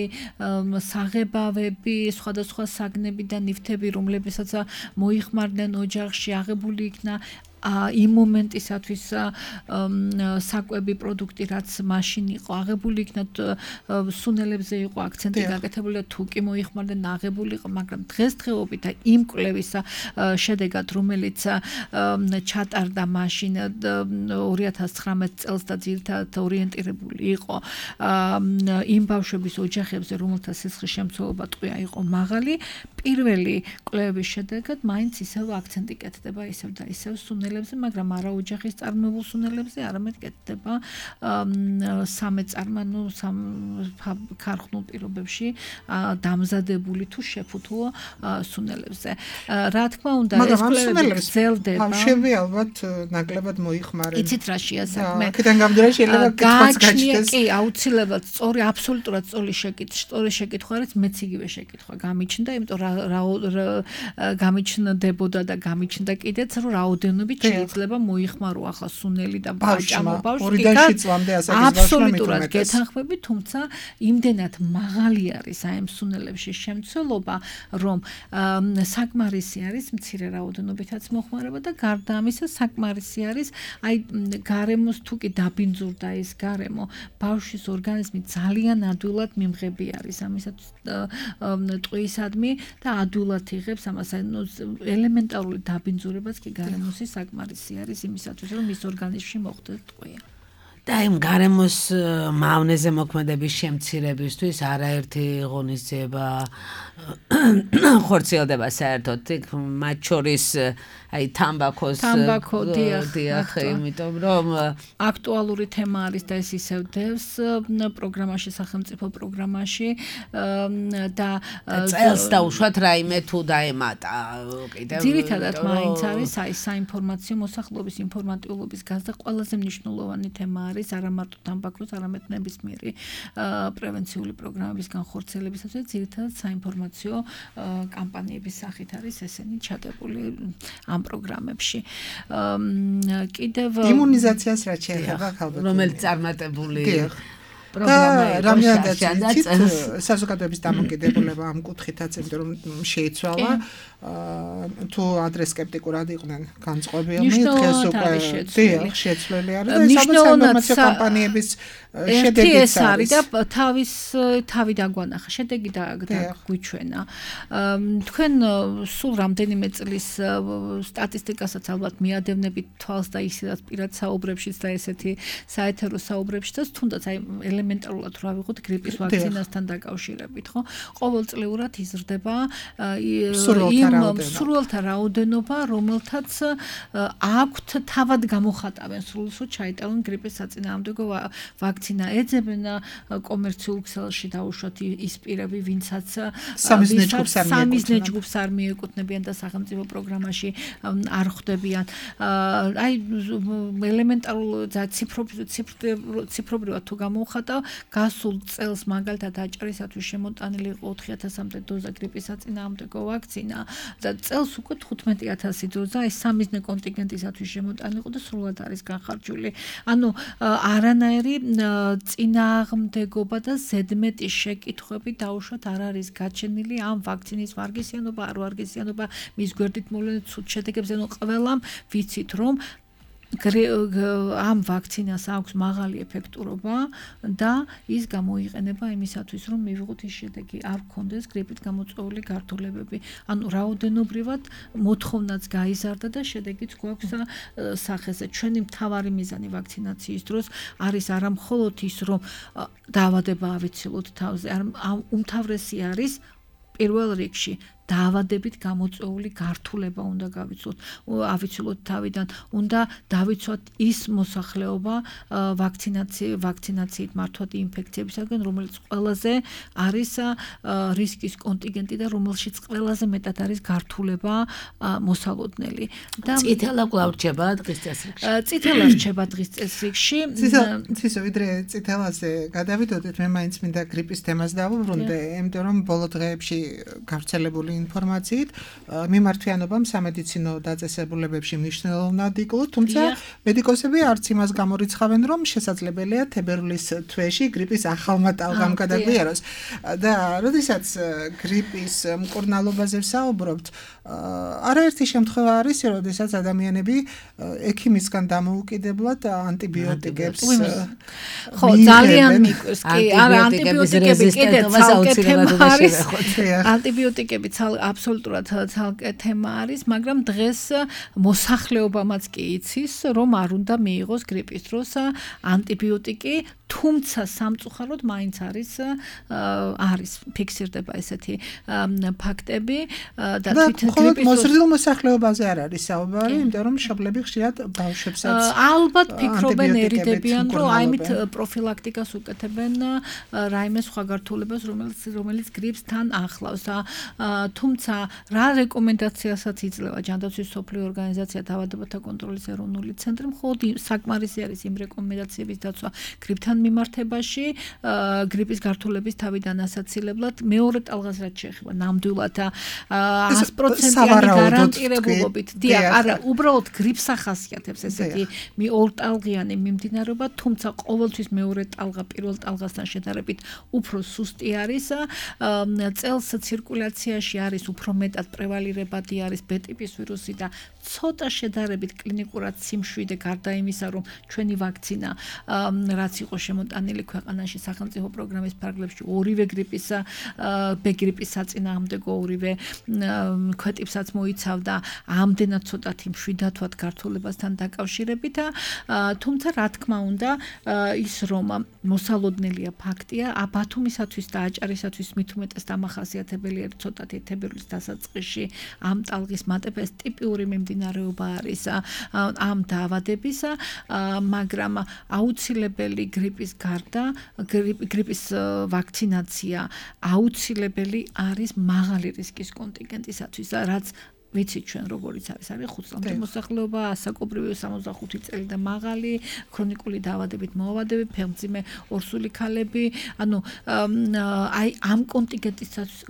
საღებავები, სხვადასხვა საგნები და ნივთები, რომლებსაც მოიხმარდნენ ოჯახში, აღებული იქნა იმ მომენტისათვის საკვები პროდუქტი, რაც მაშინ იყო აღებული იქნა, სუნელებზე იყო აქცენტი გაკეთებული და თუ კი მოიხმარდნენ, აღებული იყო, მაგრამ დღესდღეობით იმ კვლევის შედეგად, რომელიც ჩატარდა მაშინ 2019 წელს და ძირითადად ორიენტირებული იყო იმ ბავშვების ოჯახებზე, რომელთა სისხლის შემცველობა ტყვია იყო მაღალი, პირველი კვლევების შედეგად მაინც ისევ აქცენტი კეთდება ისევ და ისევ სუნელებზე, მაგრამ არა ოჯახის წარმოებულ სუნელებზე, არამედ კეთდება სამეწარმო ქარხნულ პირობებში დამზადებული თუ შეფუთულო სუნელებზე. რა თქმა უნდა, ეს კვლევები გრძელდება.
ბავშვები ალბათ ნაკლებად მოიხმარენ.
იცით რა შეასაქმე?
აქედან გამომდინარე შეიძლება კითხვაც გაჩნდეს.
კი, აუცილებლად სწორი, აბსოლუტურად სწორი შეკითხვა არის, მეც იგივე შეკითხვა გამიჩნდა, იმიტომ გამიჩნდებოდა და გამიჩნდა კიდეც, რომ რაოდენობით შეიძლება მოიხმარო ახლა სუნელი და ბავშვმა.
ორიდან 7 წლამდე ასაკის ბავშვმა
აბსოლუტურად გეთანხმები, თუმცა იმდენად მაღალი არის აი ამ სუნელებში შემცველობა, რომ საკმარისი არის მცირე რაოდენობითაც მოხმარება და გარდა ამისა საკმარისი არის აი გარემოს თუ კი დაბინძურდა ეს გარემო, ბავშვის ორგანიზმი ძალიან ადვილად მიმღები არის ამისაც ტყვიისადმი და ადვილად იღებს ამას ელემენტარული დაბინძურებაც კი გარემოსი საკმარისი არის იმისათვის რომ მის ორგანიზმში მოხდეს ტყვია.
და იმ გარემოს მავნეზე მოქმედების შემცირებისთვის არაერთი ღონისძიება ხორციელდება საერთოდ მათ შორის აი თამბაქო დიახ, იმიტომ რომ
აქტუალური თემა არის და ეს ისევ დევს პროგრამაში, სახელმწიფო პროგრამაში და
წელს დაუშვათ რაიმე თუ დაემატა კიდევ
ძირითადად მაინც არის აი საინფორმაციო მოსახლეობის ინფორმატიულობის გაზრდა ყველაზე მნიშვნელოვანი თემა არის არა მარტო თამბაქოს, არამედ ნებისმიერი პრევენციული პროგრამების განხორციელებისათვის ძირითადად საინფორმაციო კამპანიების სახით არის ესენი ჩადებული ამ პროგრამებში. კიდევ
იმუნიზაციას რაც შეეხება ხალხს,
რომელიც წარმატებული
რამდენადაც საზოგადოების დამოკიდებულება ამ კუთხითაც, იმიტომ რომ შეიცვალა თუ ადრე სკეპტიკურად იყვნენ განწყობილნი, დღეს უკვე შეცვლილი არის და საინფორმაციო კამპანიების შედეგიც
არის და თავი დაგვანახა, შედეგი დაგვიჩვენა. თქვენ სულ რამდენიმე წლის სტატისტიკასაც ალბათ მიადევნებით თვალს და ისედაც პირად საუბრებშიც და ესეთი საეთერო საუბრებშიც, თუნდაც აი ელემენტარულად რა ვიღოთ გრიპის ვაქცინასთან დაკავშირებით, ხო? ყოველწლიურად იზრდება სრულთა რაოდენობა, რომელთაც აქვთ თავად გამოხატავენ სრულსო ჩაიტარონ გრიპის საწინააღმდეგო ვაქცინა, ეძებენ კომერციულ ქსელში დაუშვათ ის პირები, ვინცაც სამიზნე ჯგუფს არ მიეკუთვნებიან და სახელმწიფო პროგრამაში არ ხვდებიან. აი ელემენტარულ ციფრობრივად თუ გამოვხატავ, გასულ წელს მაგალითად აჭარისათვის შემოტანილი იყო 4000-მდე დოზა გრიპის საწინააღმდეგო ვაქცინა და წელს უკვე 15000 დოზა ეს სამიზნე კონტინგენტისათვის შემოტანილი იყო და სრულად არის განხარჯული. ანუ არანაირი წინააღმდეგობა და ზედმეტი შეკითხვები დაუშვათ არ არის გაჩენილი ამ ვაქცინის ვარგისიანობა, არ ვარგისიანობა, მის გვერდით მოვლენილ ცუდ შედეგებზე, ანუ ყველამ ვიცით რომ ამ ვაქცინას აქვს მაღალი ეფექტურობა და ის გამოიყენება იმისათვის, რომ მივიღოთ ის შედეგი, არ გქონდეს გრიპით გამოწვეული გართულებები. ანუ რაოდენობრივად მოთხოვნაც გაიზარდა და შედეგიც გვაქვს სახეზე. ჩვენი მთავარი მიზანი ვაქცინაციის დროს არის არა მხოლოდ ის, რომ დაავადება ავიცილოთ თავზე, უმთავრესი არის პირველ რიგში დაავადებით გამოწვეული გართულება უნდა ავიცილოთ თავიდან, უნდა დავიცვათ ის მოსახლეობა ვაქცინაციით მართვად ინფექციებისაგან, რომელიც ყველაზე არის რისკის კონტინგენტი და რომელშიც ყველაზე მეტად არის გართულება მოსალოდნელი. და
წითელა კვლავ რჩება დღის წესრიგში.
წითელა რჩება დღის წესრიგში.
ცისო, ვიდრე წითელაზე გადავიდოდეთ, მე მაინც მინდა გრიპის თემას დავუბრუნდე, იმიტომ რომ ბოლო დღეებში გავრცელებული ინფორმაციით მიმართვიანობამ სამედიცინო დაწესებულებებში მნიშვნელოვნად იკლო, თუმცა მედიკოსები არც იმას გამორიცხავენ, რომ შესაძლებელია თებერვლის თვეში გრიპის ახალმა ტალღამ გადაგვიაროს. და როდესაც გრიპის მკურნალობაზე ვსაუბრობთ, არაერთი შემთხვევა არის, როდესაც ადამიანები ექიმისგან დამოუკიდებლად ანტიბიოტიკებს
ხო, ძალიან მიკვირს, კი, არა ანტიბიოტიკები კიდე ცალკე თემა არის. ანტიბიოტიკები აბსოლუტურად ცალკე თემა არის, მაგრამ დღეს მოსახლეობამაც კი იცის, რომ არ უნდა მიიღოს გრიპის დროს ანტიბიოტიკი, თუმცა სამწუხაროდ მაინც არის ფიქსირდება ესეთი ფაქტები და
თვითონ გრიპის მოზრდილ მოსახლეობაზე არ არის საუბარი, იმიტომ რომ მშობლები ხშირად ბავშვებსაც
ალბათ ფიქრობენ ერიდებიან, რომ აიმით პროფილაქტიკას უკეთებენ რაიმე სხვა გართულებას, რომელიც გრიპს თან ახლავს. თუმცა რა რეკომენდაციასაც იძლევა ჯანდაცვის მსოფლიო ორგანიზაცია დაავადებათა კონტროლის ეროვნული ცენტრი, მხოლოდ საკმარისი არის იმ რეკომენდაციების დაცვა გრიპთან მიმართებაში, გრიპის გართულების თავიდან ასაცილებლად, მეორე ტალღას რაც შეეხება ნამდვილად 100%-იანი გარანტირებულობით. არა, უბრალოდ გრიპს ახასიათებს ესეთი ორტალღიანი მიმდინარეობა, თუმცა ყოველთვის მეორე ტალღა პირველ ტალღასთან შედარებით უფრო სუსტი არის. წელს ცირკულაციაში არის უფრო მეტად პრევალირებადი არის B ტიპის ვირუსი და ცოტა შედარებით კლინიკურად სიმშვიდე გარდა იმისა, რომ ჩვენი ვაქცინა რაც იყო შემოტანილი ქვეყანაში სახელმწიფო პროგრამის ფარგლებში ორივე გრიპის B გრიპის საწინააღმდეგო ორივე ქვეტიპსაც მოიცავდა, ამდენად ცოტათი მშვიდად ვართ გართულებასთან დაკავშირებით, თუმცა რა თქმა უნდა ის რომ მოსალოდნელია ფაქტია, ბათუმისათვის და აჭარისათვის მით უმეტეს დამახასიათებელი არის ცოტათი თებერვლის დასაწყისში ამ ტალღის მატება, ეს ტიპიური მიმდინარეობა არის ამ დაავადებისა, მაგრამ აუცილებელი გრიპის გარდა გრიპის ვაქცინაცია აუცილებელი არის მაღალი რისკის კონტინგენტისათვის, რაც ვიცით ჩვენ როგორიც არის 5 წლამდე მოსახლეობა, ასაკობრივი 65 წელი და მაღალი, ქრონიკული დაავადებით მოავადები, ფეხმძიმე ორსული ქალები, ანუ აი ამ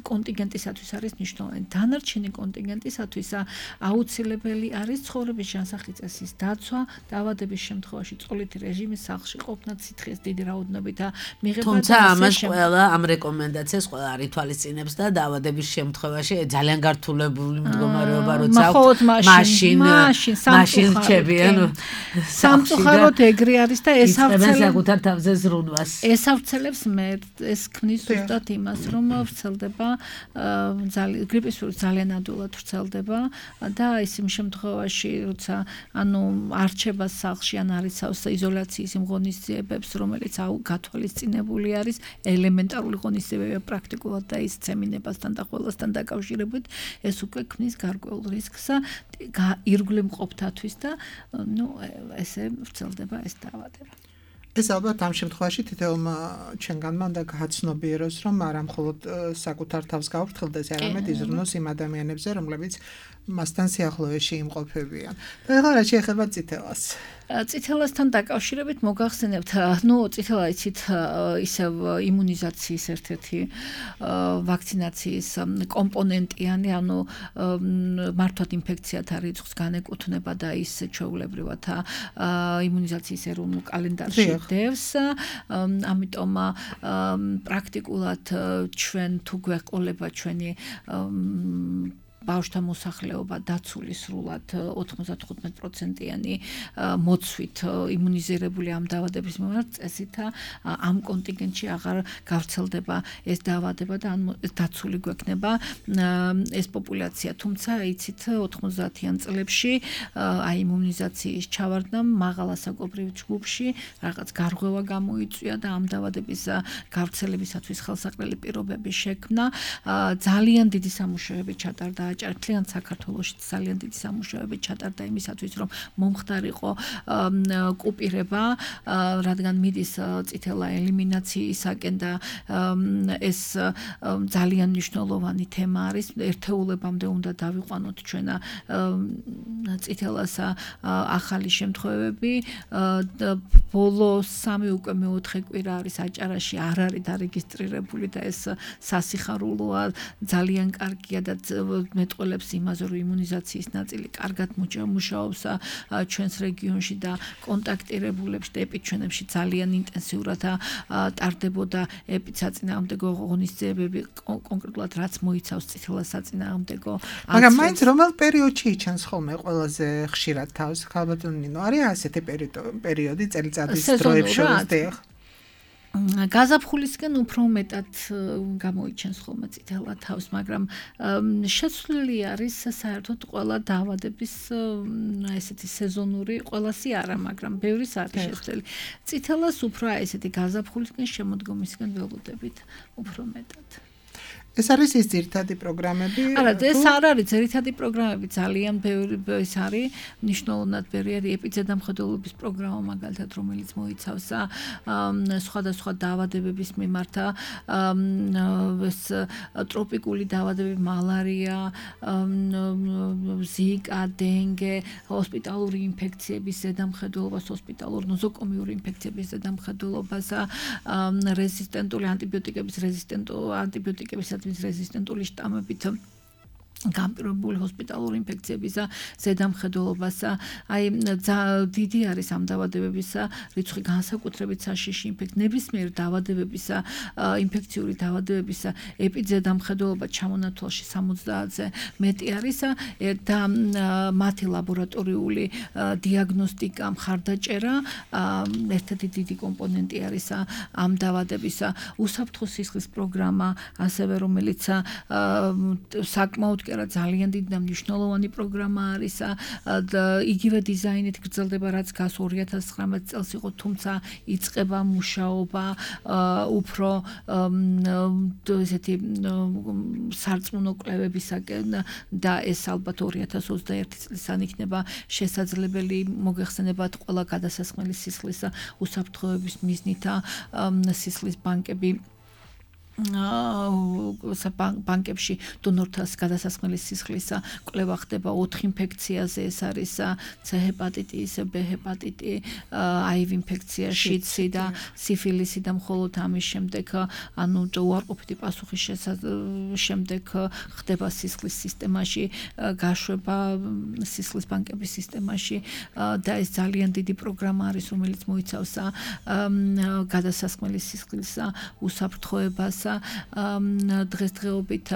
კონტინგენტისათვის არის მნიშვნელოვანი. დანარჩენი კონტინგენტისათვის აუცილებელი არის ცხოვრების ჯანსაღი წესის დაცვა, დაავადების შემთხვევაში წოლითი რეჟიმის სახლში ყოფნა, სითხის დიდი რაოდენობით მიღება.
თუმცა ამას ყველა ამ რეკომენდაციას ყველა არ ითვალისწინებს და დაავადების შემთხვევაში ძალიან გართულებული მდგომარეობა მაშინ რჩებიან
სამწუხაროდ ეგრე არის და
საკუთარ თავზე ზრუნვას
ესავრცელებს ეს ქმნის ზუსტად იმას, რომ ვრცელდება გრიპის ვირუსი ძალიან ადვილად ვრცელდება და ის იმ შემთხვევაში, როცა არ რჩება სახლში ან არიცავს იზოლაციის იმ ღონისძიებებს, რომელიც გათვალისწინებული არის, ელემენტარული ღონისძიებებია პრაქტიკულად და ის ცემინებასთან და ყველასთან დაკავშირებით, ეს უკვე ქმნის გარკვეულ რისკს ირგვლივ მყოფთათვის და ესე ვრცელდება ეს დაავადება.
ეს ალბათ ამ შემთხვევაში თითოეულმა ჩვენგანმა უნდა გააცნობიეროს, რომ არა მხოლოდ საკუთარ თავს გაუფრთხილდეს, არამედ იზრუნოს იმ ადამიანებზე, რომლებიც მასთან სიახლოვეში იმყოფებიან. და ეხლა რა შეეხება წითელას?
წითელასთან დაკავშირებით მოგახსენებთ, წითელა იცით ისევ იმუნიზაციის ერთ-ერთი ვაქცინაციის კომპონენტიანი, მართვად ინფექციათა რიცხვს განეკუთვნება და ის ჩვეულებრივად იმუნიზაციის ეროვნულ კალენდარში დევს. ამიტომ პრაქტიკულად ჩვენ თუ გვეყოლება ჩვენი ბავშვთა მოსახლეობა დაცული სრულად 95%-იანი მოცვით იმუნიზირებული ამ დაავადების მიმართ წესით ამ კონტინგენტში აღარ გავრცელდება ეს დაავადება და დაცული გვექნება ეს პოპულაცია. თუმცა იცით 90-იან წლებში აი იმუნიზაციის ჩავარდნამ მაღალ ასაკობრივ ჯგუფში რაღაც გარღვევა გამოიწვია და ამ დაავადების გავრცელებისათვის ხელსაყრელი პირობები შექმნა. ძალიან დიდი სამუშაოები ჩატარდა აჭართლიან საქართველოში, ძალიან დიდი სამუშაოები ჩატარდა იმისათვის, რომ მომხდარიყო კუპირება, რადგან მიდის წითელა ელიმინაციისაკენ და ეს ძალიან მნიშვნელოვანი თემა არის. ერთეულებამდე უნდა დავიყვანოთ ჩვენ წითელას ახალი შემთხვევები. ბოლო 3 უკვე მეოთხე კვირა არის აჭარაში არ არის დარეგისტრირებული და ეს სასიხარულოა, ძალიან კარგია და მეტყველებს იმაზე, რომ იმუნიზაციის ნაწილი კარგად მუშაობს ჩვენს რეგიონში და კონტაქტირებულებში და ეპიჩვენებში ძალიან ინტენსიურად ტარდებოდა ეპიცაწინააღმდეგო ღონისძიებები, კონკრეტულად რაც მოიცავს წითელას საწინააღმდეგო.
მაგრამ მაინც რომელ პერიოდში იჩენს ხოლმე ყველაზე ხშირად თავს? ხალბატონო ნინო, არის ასეთი პერიოდი წელიწადის დროებს შორის?
გაზაფხულისგან უფრო მეტად გამოიჩენს ხოლმე წითელა თავს, მაგრამ შეცვლილი არის საერთოდ ყველა დაავადების ესეთი სეზონური ყველასი არა, მაგრამ ბევრის არის შეცვლილი. წითელას უფრო ესეთი გაზაფხულისგან შემოდგომისგან ველოდებით უფრო მეტად.
ეს არის ის ძირითადი პროგრამები?
არა, ეს არ არის ძირითადი პროგრამები, ძალიან ბევრი ეს არის, მნიშვნელოვნად ბევრი არის ეპიზედამხედველობის პროგრამა მაგალითად, რომელიც მოიცავს სხვადასხვა დაავადებების მიმართ ეს ტროპიკული დაავადებები, მალარია, ზიკა, დინგე, ჰოსპიტალური ინფექციების ზედამხედველობას, ჰოსპიტალურ ნოზოკომიური ინფექციების ზედამხედველობას, რეზისტენტული ანტიბიოტიკების რეზისტენტული შტამებით გამპირობებული ჰოსპიტალური ინფექციების ზედამხედველობას, აი დიდი არის ამ დაავადებების რიცხვი განსაკუთრებით საშიში ნებისმიერ დაავადებების ინფექციური დაავადებების ეპიზედამხედველობა ჩამონათვალში 70-ზე მეტი არის და მათი ლაბორატორიული დიაგნოსტიკა, მხარდაჭერა ერთ-ერთი დიდი კომპონენტი არის ამ დაავადების უსაფრთხო სისხლის პროგრამა, ასევე რომელიც საკმაოდ ძალიან დიდი და მნიშვნელოვანი პროგრამა არის და იგივე დიზაინით გრძელდება, რაც გას 2019 წელს იყო, თუმცა იწყება მუშაობა უფრო ესეთი სარწმუნო კვლევებისაკენ და ეს ალბათ 2021 წლიდან იქნება შესაძლებელი. მოგეხსენებათ ყველა გადასასხმელი სისხლის უსაფრთხოების მიზნით სისხლის ბანკები ბანკებში დონორთა გადასასხმელი სისხლის კვლევა ხდება 4 ინფექციაზე, ეს არის C ჰეპატიტი, B ჰეპატიტი, HIV ინფექცია, შიდსი და სიფილისი და მხოლოდ ამის შემდეგ უარყოფითი პასუხის შემდეგ ხდება სისხლის სისტემაში გაშვება, სისხლის ბანკების სისტემაში და ეს ძალიან დიდი პროგრამა არის, რომელიც მოიცავს გადასასხმელი სისხლის უსაფრთხოებას. დღესდღეობით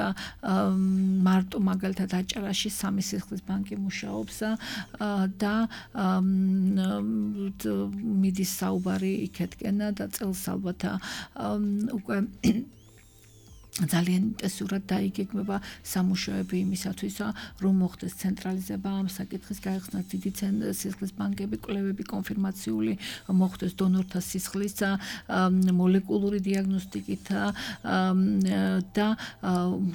მარტო მაგალითად აჭარაში 3 სისხლის ბანკი მუშაობს და მიდის საუბარი იქეთკენ და წელს ალბათ უკვე ძალიან ინტენსიურად დაიგეგმება სამუშაოები იმისათვის, რომ მოხდეს ცენტრალიზება ამ საკითხის, გაიხსნას დიდი სისხლის ბანკები, კვლევები, კონფირმაციული მოხდეს დონორთა სისხლის მოლეკულური დიაგნოსტიკით და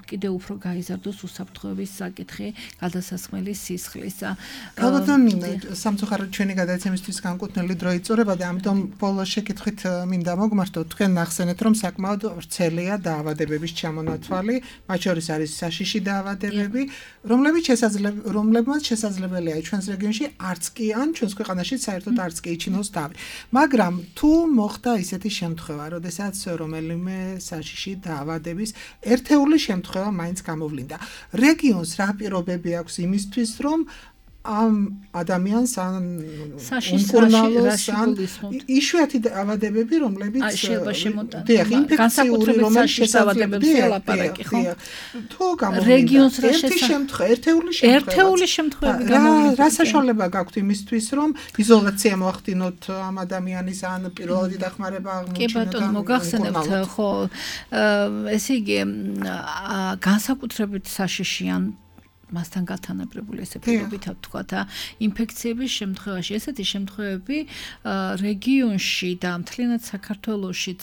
კიდევ უფრო გაიზარდოს უსაფრთხოების საკითხი გადასასხმელი სისხლის.
ალბათ სამწუხაროდ ჩვენი გადაცემისთვის განკუთვნილი დრო იწურება და ამიტომ ბოლოს შეკითხვით მინდა მოგმართოთ, თქვენ ნახსენეთ, რომ საკმაოდ ვრცელია დაავადებების ჩამონათვალი, მათ შორის არის საშიში დაავადებები, რომლებმაც შესაძლებელია ჩვენს რეგიონში არც კი ან ჩვენს ქვეყანაში საერთოდ არც კი იჩინოს თავი. მაგრამ თუ მოხდა ისეთი შემთხვევა, როდესაც რომელიმე საშიში დაავადების ერთეული შემთხვევა მაინც გამოვლინდა, რეგიონს რა პირობები აქვს იმისთვის, რომ ამ ადამიანს ან უმკურნალოს ან იშვიათი დაავადებები, რომლებიც ინფექციური, რომელიც შესაძლებელია თუ რეგიონს ერთეული შემთხვევები რა საშუალება გაქვთ იმისთვის, რომ იზოლაცია მოახდინოთ ამ ადამიანის ან პირველადი დახმარება აღმოჩინოთ?
კი ბატონო, მოგახსენებთ, ხო, ესე იგი განსაკუთრებით საშიშიან მასთან გათანაბრებული ესე პირობითად თქვათ ინფექციების შემთხვევაში ესეთი შემთხვევები რეგიონში და მთლიანად საქართველოშიც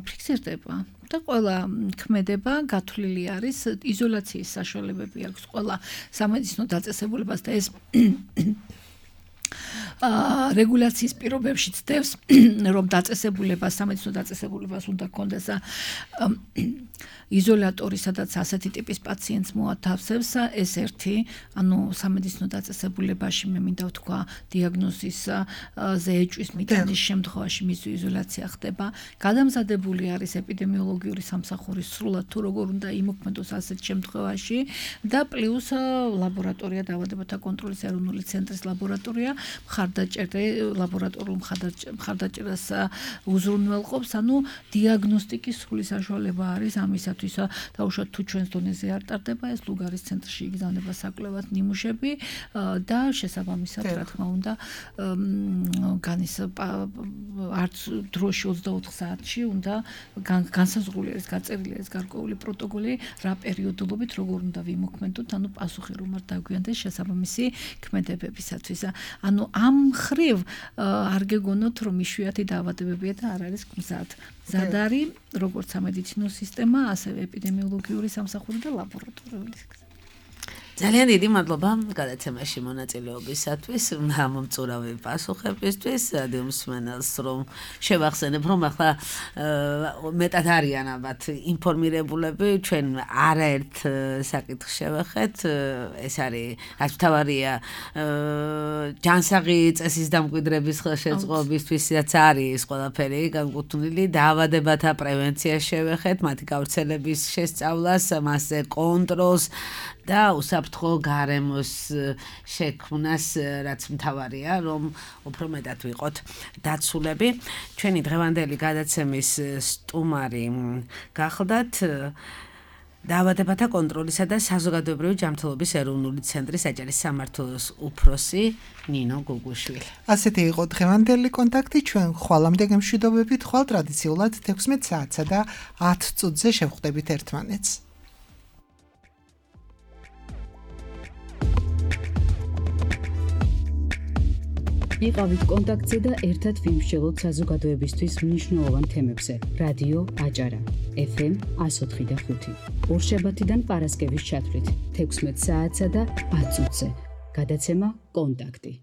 ფიქსირდება და ყველა ქმედება გათვლილი არის, იზოლაციის საშუალებები აქვს ყველა სამედიცინო დაწესებულებას და ეს რეგულაციის პირობებში ცდებს, რომ დაწესებულებას, სამედიცინო დაწესებულებას უნდა ჰქონდეს იზოლატორი, სადაც ასეთი ტიპის პაციენტს მოათავსებს, ეს ერთი, ანუ სამედიცინო დაწესებულებაში მე მინდა ვთქვა, დიაგნოზისზე ეჭვის მიტანის შემთხვევაში მისი იზოლაცია ხდება. გადამზადებული არის ეპიდემიოლოგიური სამსახური სრულად თუ როგორ უნდა იმოქმედოს ასეთ შემთხვევაში და პლუს ლაბორატორია, დაავადებათა კონტროლის ეროვნული ცენტრის ლაბორატორია მხარდაჭერა ლაბორატორიულ მხარდაჭერას უზრუნველყოფს, ანუ დიაგნოსტიკის სრული საშუალება არის ამისათვის, დაუშვათ თუ ჩვენს დონეზე არ ტარდება ეს ლუგარის ცენტრში იგზავნება საკვლევად ნიმუშები და შესაბამისად რა თქმა უნდა არც დროში 24 საათში უნდა განსაზღვრული არის გაწერილი არის გარკვეული პროტოკოლი რა პერიოდულობით როგორ უნდა ვიმოქმედოთ, ანუ პასუხი რომ არ დაგვიანდეს შესაბამისი ქმედებებისათვის. ანუ ამ მხრივ არ გეგონოთ რომ იშვიათი დაავადებებია და არ არის მზად. მზად არის როგორც სამედიცინო სისტემა, ასევე ეპიდემიოლოგიური სამსახური და ლაბორატორიული.
ძალიან დიდი მადლობა გადაცემაში მონაწილეობისათვის, მომწურავი პასუხებისთვის, რადიო მსმენელს რომ შევახსენებ, რომ ახლა მეტად არიან ალბათ ინფორმირებულები, ჩვენ არაერთ საკითხს შევეხეთ, ეს არის რაც მთავარია ჯანსაღი წესის დამკვიდრების ხელშეწყობისთვისაც არის ყველაფერი განკუთვნილი, დაავადებათა პრევენციას შევეხეთ, მათი გავრცელების შესწავლას, მასზე კონტროლს და უსაფრთხო გარემოს შექმნას, რაც მთავარია, რომ უფრო მეტად ვიყოთ დაცულები. ჩვენი დღევანდელი გადაცემის სტუმარი გახლდათ დაავადებათა კონტროლისა და საზოგადოებრივი ჯანმრთელობის ეროვნული ცენტრის საჯარის სამმართველოს უფროსი ნინო გუგუშვილი.
ასეთი იყო დღევანდელი კონტაქტი, ჩვენ ხვალამდე გემშვიდობებით, ხვალ ტრადიციულად 16 საათსა და 10 წუთზე შევხვდებით ერთმანეთს.
იყავით კონტაქტზე და ერთად ვიმსჯელოთ საზოგადოებისთვის მნიშვნელოვან თემებზე. რადიო აჭარა, FM 104.5. ორშაბათიდან პარასკევის ჩათვლით 16 საათსა და 10 წუთზე. გადაცემა კონტაქტი.